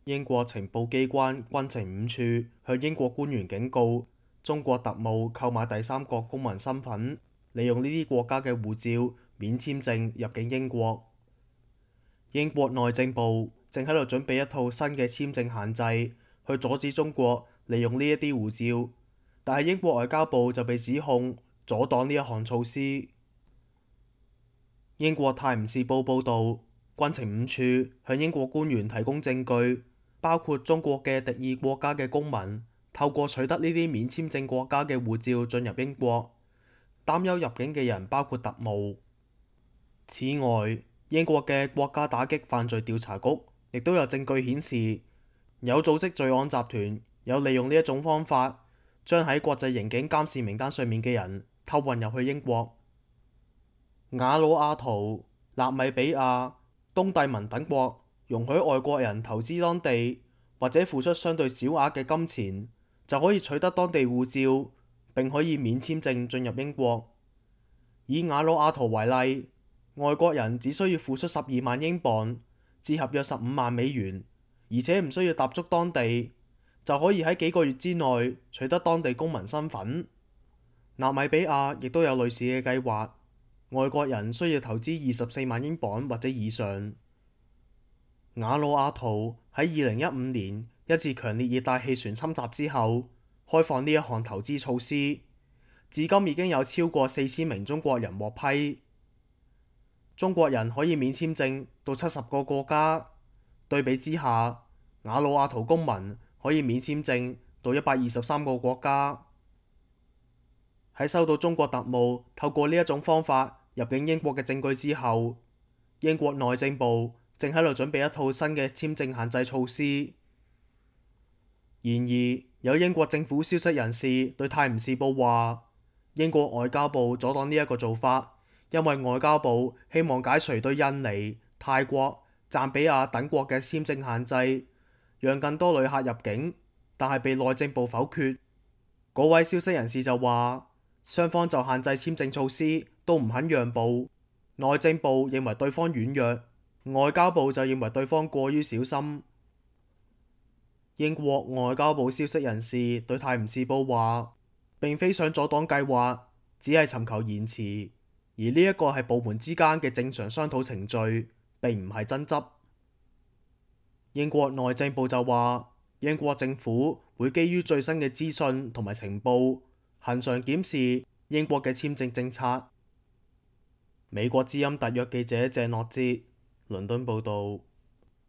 英國情報機關軍情五處向英國官員警告，中國特務購買第三國公民身份，利用呢啲國家嘅護照免簽證入境英國。英國內政部正喺度準備一套新嘅簽證限制，去阻止中國利用呢一啲護照，但係英國外交部就被指控阻擋呢一項措施。英國泰晤士報報導，軍情五處向英國官員提供證據，包括中國嘅敵意國家嘅公民透過取得呢啲免簽證國家嘅護照進入英國，擔憂入境嘅人包括特務。此外，英國嘅國家打擊犯罪調查局亦都有證據顯示，有組織罪案集團有利用呢一種方法，將喺國際刑警監視名單上面嘅人偷運入去英國。瓦努阿圖、納米比亞、東帝汶等國容許外國人投資當地，或者付出相對小額嘅金錢，就可以取得當地護照，並可以免簽證進入英國。以瓦努阿圖為例，外國人只需要付出12萬英鎊，折合約15萬美元，而且唔需要踏足當地，就可以喺幾個月之內取得當地公民身份。納米比亞亦都有類似嘅計劃。外國人需要投資24萬英鎊或者以上。瓦努阿圖喺2015年一次強烈熱帶氣旋侵襲之後，開放呢一項投資措施，至今已經有超過4000名中國人獲批。中國人可以免簽證到70個國家，對比之下，瓦努阿圖公民可以免簽證到123個國家。喺收到中國特務透過呢一種方法入境英國嘅證據之後，英國內政部正喺度準備一套新嘅簽證限制措施。然而，有英國政府消息人士對《泰晤士報》話，英國外交部阻擋呢一個做法，因為外交部希望解除對印尼、泰國、贊比亞等國嘅簽證限制，讓更多旅客入境，但係被內政部否決。嗰位消息人士就話，雙方就限制簽證措施都唔肯讓步，內政部認為對方軟弱，外交部就認為對方過於小心。英國外交部消息人士對《泰晤士報》話，並非想阻擋計劃，只係尋求延遲，而呢一個係部門之間嘅正常商討程序，並唔係爭執。英國內政部就話，英國政府會基於最新嘅資訊同埋情報，恆常檢視英國嘅簽證政策。美國之音特約記者謝諾哲，倫敦報導。